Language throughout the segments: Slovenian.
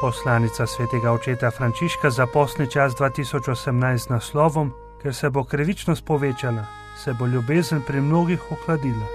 Poslanica svetega očeta Frančiška za postni čas 2018 z naslovom: Ker se bo krivičnost povečala, se bo ljubezen pri mnogih ohladila.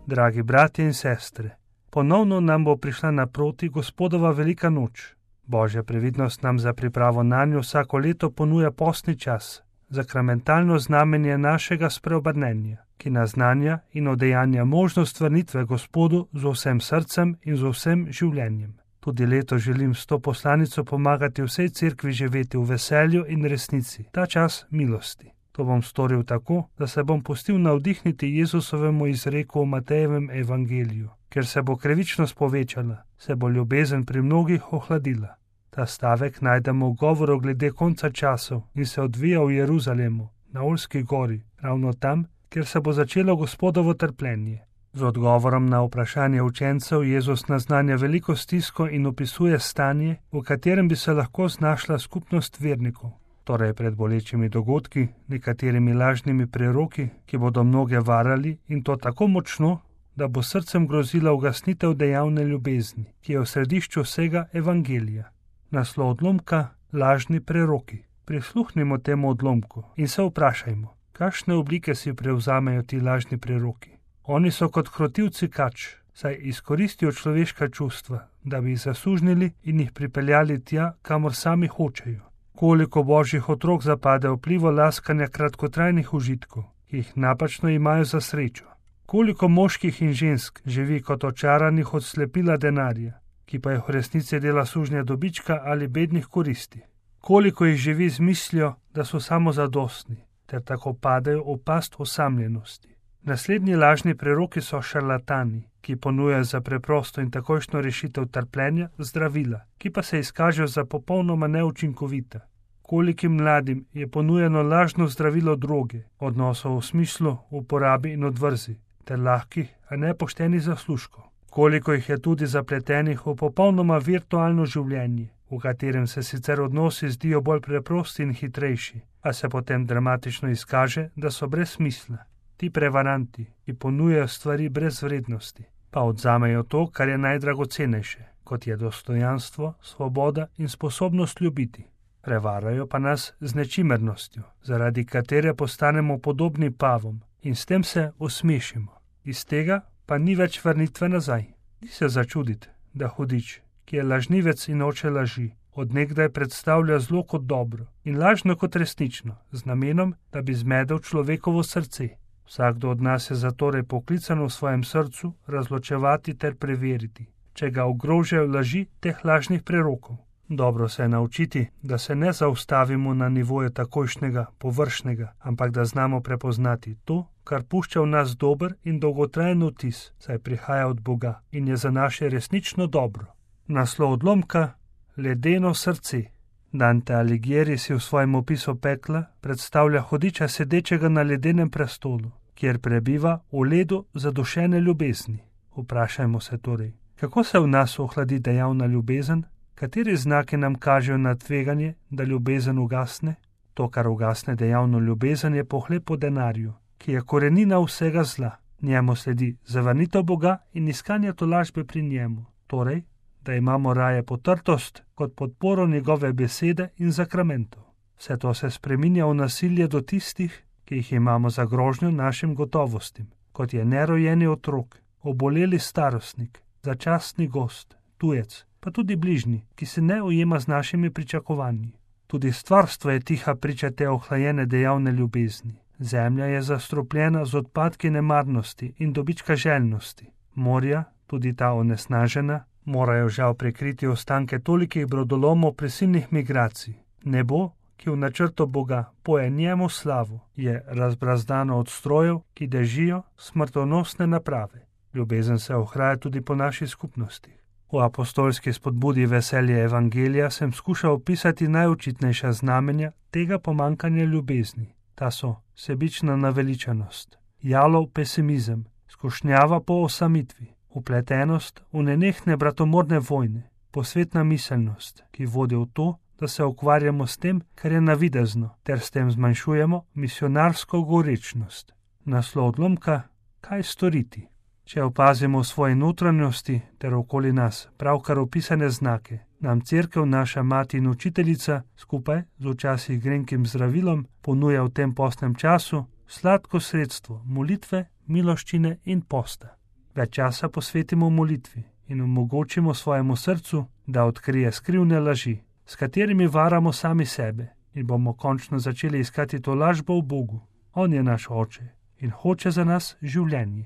Dragi bratje in sestre, ponovno nam bo prišla naproti Gospodova velika noč. Božja previdnost nam za pripravo nanjo vsako leto ponuja postni čas, sakramentalno znamenje našega spreobrnenja, ki naznanja in udejanja možnost vrnitve Gospodu z vsem srcem in z vsem življenjem. Tudi leto želim s to poslanico pomagati vsej cerkvi živeti v veselju in resnici, ta čas milosti. To bom storil tako, da se bom pustil navdihniti Jezusovemu izreku v Matejevem evangeliju. Ker se bo krivičnost povečala, se bo ljubezen pri mnogih ohladila. Ta stavek najdemo v govoru glede konca časov in se odvija v Jeruzalemu, na Olski gori, ravno tam, kjer se bo začelo Gospodovo trpljenje. Z odgovorom na vprašanje učencev Jezus naznanja veliko stisko in opisuje stanje, v katerem bi se lahko znašla skupnost vernikov. Torej pred bolečimi dogodki, nekaterimi lažnimi preroki, ki bodo mnoge varali in to tako močno, da bo srcem grozila ugasnitev dejavne ljubezni, ki je v središču vsega evangelija. Naslov odlomka: lažni preroki. Prisluhnimo temu odlomku in se vprašajmo, kakšne oblike si prevzamejo ti lažni preroki. Oni so kot krotivci kač, saj izkoristijo človeška čustva, da bi jih zasužnili in jih pripeljali tja, kamor sami hočejo. Koliko božjih otrok zapade vplivo laskanja kratkotrajnih užitkov, ki jih napačno imajo za srečo. Koliko moških in žensk živi kot očaranih od slepila denarja, ki pa jih v resnici dela sužnja dobička ali bednih koristi. Koliko jih živi z mislijo, da so samozadostni, ter tako padejo v past osamljenosti. Naslednji lažni preroki so šarlatani, ki ponujajo za preprosto in takojšno rešitev trpljenja zdravila, ki pa se izkažejo za popolnoma neučinkovita. Kolikim mladim je ponujeno lažno zdravilo droge, odnosov v smislu uporabi in odvrzi, ter lahkih, a nepoštenih zaslužkov. Koliko jih je tudi zapletenih v popolnoma virtualno življenje, v katerem se sicer odnosi zdijo bolj preprosti in hitrejši, a se potem dramatično izkaže, da so brez smisla. Ti prevaranti, ki ponujajo stvari brez vrednosti, pa odzamejo to, kar je najdragocenejše, kot je dostojanstvo, svoboda in sposobnost ljubiti. Prevarajo pa nas z nečimernostjo, zaradi katere postanemo podobni pavom in s tem se osmešimo. Iz tega pa ni več vrnitve nazaj. Ni se začuditi, da hudič, ki je lažnivec in oče laži, odnegdaj predstavlja zlo kot dobro in lažno kot resnično, z namenom, da bi zmedel človekovo srce. Vsakdo od nas je zatorej poklican v svojem srcu razločevati ter preveriti, če ga ogrožajo laži teh lažnih prerokov. Dobro se je naučiti, da se ne zaustavimo na nivoju takojšnjega, površnega, ampak da znamo prepoznati to, kar pušča v nas dober in dolgotrajen vtis, saj prihaja od Boga in je za naše resnično dobro. Naslov odlomka: ledeno srce. Dante Alighieri si v svojem opisu pekla predstavlja hudiča sedečega na ledenem prestolu, kjer prebiva v ledu zadušene ljubezni. Vprašajmo se torej, kako se v nas ohladi dejavna ljubezen? Kateri znaki nam kažejo na tveganje, da ljubezen ugasne? To, kar ugasne dejavno ljubezen, je pohlep po denarju, ki je korenina vsega zla. Njemu sledi zavrnitev Boga in iskanje tolažbe pri njemu. Torej, da imamo raje potrtost kot podporo njegove besede in zakramentov. Vse to se spreminja v nasilje do tistih, ki jih imamo za grožnjo našim gotovostim, kot je nerojeni otrok, oboleli starostnik, začasni gost, tujec, pa tudi bližnji, ki se ne ujema z našimi pričakovanji. Tudi stvarstvo je tiha priča te ohlajene dejavne ljubezni. Zemlja je zastrupljena z odpadki nemarnosti in dobička željnosti. Morja, tudi ta onesnažena, morajo žal prekriti ostanke tolikih brodolomov prisilnih migracij. Nebo, ki v načrtu Boga poje njemu slavo, je razbrazdano od strojev, ki dežijo smrtonosne naprave. Ljubezen se ohlaja tudi po naši skupnosti. V apostolski spodbudi veselje evangelija sem skušal opisati najočitnejša znamenja tega pomankanja ljubezni. Ta so sebična naveličanost, jalov pesimizem, skušnjava po osamitvi, upletenost v nenehne bratomorne vojne, posvetna miselnost, ki vodi v to, da se ukvarjamo s tem, kar je navidezno, ter s tem zmanjšujemo misionarsko gorečnost. Naslov odlomka: kaj storiti? Če opazimo v svoji notranjosti ter okoli nas pravkar opisane znake, nam Cerkev, naša mati in učiteljica, skupaj z včasih grenkim zdravilom, ponuja v tem postnem času sladko sredstvo molitve, miloščine in posta. Več časa posvetimo molitvi in omogočimo svojemu srcu, da odkrije skrivne laži, s katerimi varamo sami sebe, in bomo končno začeli iskati to lažbo v Bogu. On je naš Oče in hoče za nas življenje.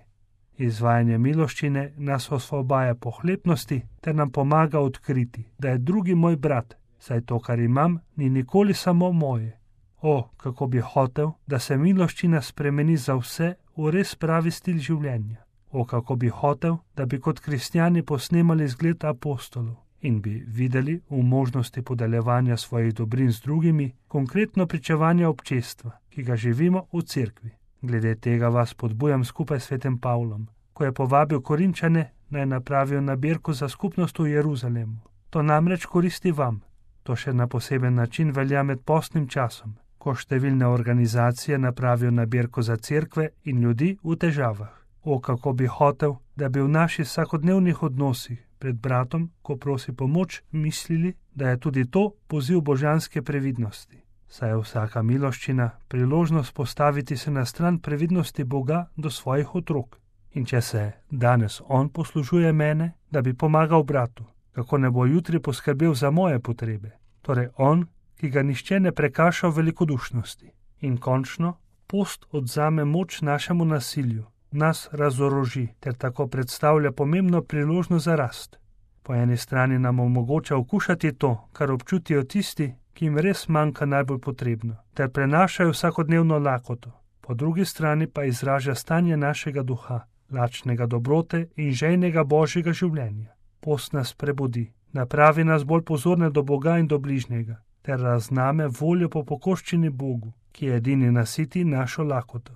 Izvajanje miloščine nas osvobaja pohlepnosti ter nam pomaga odkriti, da je drugi moj brat, saj to, kar imam, ni nikoli samo moje. O, kako bi hotel, da se miloščina spremeni za vse v res pravi stil življenja. O, kako bi hotel, da bi kot kristjani posnemali zgled apostolov in bi videli v možnosti podeljevanja svojih dobrin z drugimi, konkretno pričevanje občestva, ki ga živimo v cerkvi. Glede tega vas podbujam skupaj s svetim Pavlom, ko je povabil Korinčane, naj napravijo nabirko za skupnost v Jeruzalemu. To namreč koristi vam. To še na poseben način velja med postnim časom, ko številne organizacije napravijo nabirko za cerkve in ljudi v težavah. O, kako bi hotel, da bi v naših vsakodnevnih odnosih pred bratom, ko prosi pomoč, mislili, da je tudi to poziv božanske previdnosti. Saj je vsaka miloščina priložnost postaviti se na stran previdnosti Boga do svojih otrok. In če se danes on poslužuje mene, da bi pomagal bratu, kako ne bo jutri poskrbel za moje potrebe. Torej on, ki ga nihče ne prekaša v velikodušnosti. In končno, post odzame moč našemu nasilju, nas razoroži ter tako predstavlja pomembno priložnost za rast. Po eni strani nam omogoča okušati to, kar občutijo tisti, ki jim res manjka najbolj potrebno, ter prenašajo vsakodnevno lakoto. Po drugi strani pa izraža stanje našega duha, lačnega dobrote in žejnega božjega življenja. Post nas prebudi, napravi nas bolj pozorne do Boga in do bližnjega, ter razname voljo po pokoščini Bogu, ki je edini nasiti našo lakoto.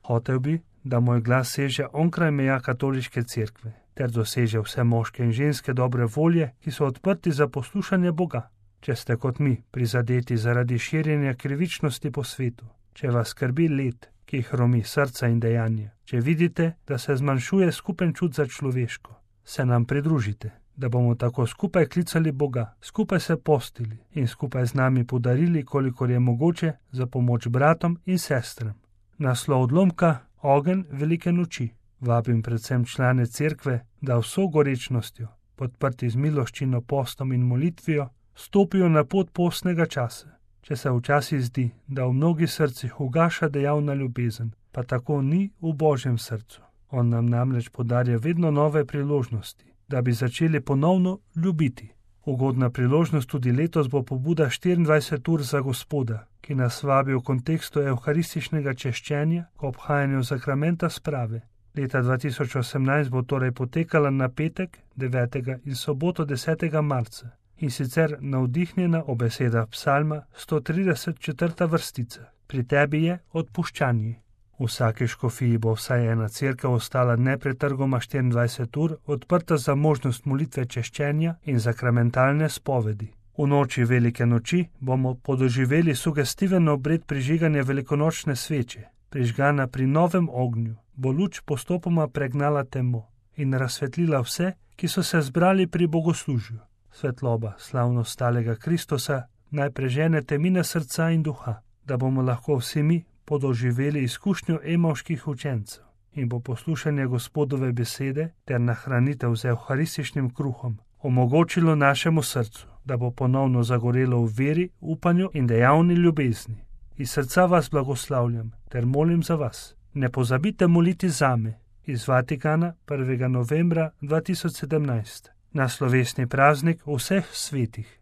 Hotel bi, da moj glas seže onkraj meja katoliške cerkve, ter doseže vse moške in ženske dobre volje, ki so odprti za poslušanje Boga. Če ste kot mi prizadeti zaradi širjenja krivičnosti po svetu, če vas skrbi led, ki jih hromi srca in dejanja, če vidite, da se zmanjšuje skupen čut za človeško, se nam pridružite, da bomo tako skupaj klicali Boga, skupaj se postili in skupaj z nami podarili, kolikor je mogoče, za pomoč bratom in sestram. Naslov odlomka: Ogenj velike noči. Vabim predvsem člane cerkve, da vso gorečnostjo, podprti z miloščino, postom in molitvijo, stopijo na pot postnega časa. Če se včasih zdi, da v mnogih srcih ugaša dejavna ljubezen, pa tako ni v Božjem srcu. On nam namreč podarja vedno nove priložnosti, da bi začeli ponovno ljubiti. Ugodna priložnost tudi letos bo pobuda 24 ur za Gospoda, ki nas vabi v kontekstu evharističnega češčenja k obhajanju sakramenta sprave. Leta 2018 bo torej potekala na petek 9. in soboto 10. marca. In sicer navdihnjena o besedah psalma 134. vrstica. Pri tebi je odpuščanje. V vsaki škofiji bo vsaj ena cerkev ostala nepretrgoma 24 ur odprta za možnost molitve češčenja in sakramentalne spovedi. V noči velike noči bomo podoživeli sugestiven obred prižiganja velikonočne sveče. Prižgana pri novem ognju bo luč postopoma pregnala temo in razsvetlila vse, ki so se zbrali pri bogoslužju. Svetloba slavno stalega Kristusa naj prežene temine srca in duha, da bomo lahko vsi mi podoživeli izkušnjo emavških učencev in bo poslušanje Gospodove besede ter nahranitev z evharističnim kruhom omogočilo našemu srcu, da bo ponovno zagorelo v veri, upanju in dejavni ljubezni. Iz srca vas blagoslavljam ter molim za vas. Ne pozabite moliti zame. Iz Vatikana 1. novembra 2017 na slovesni praznik vseh svetih.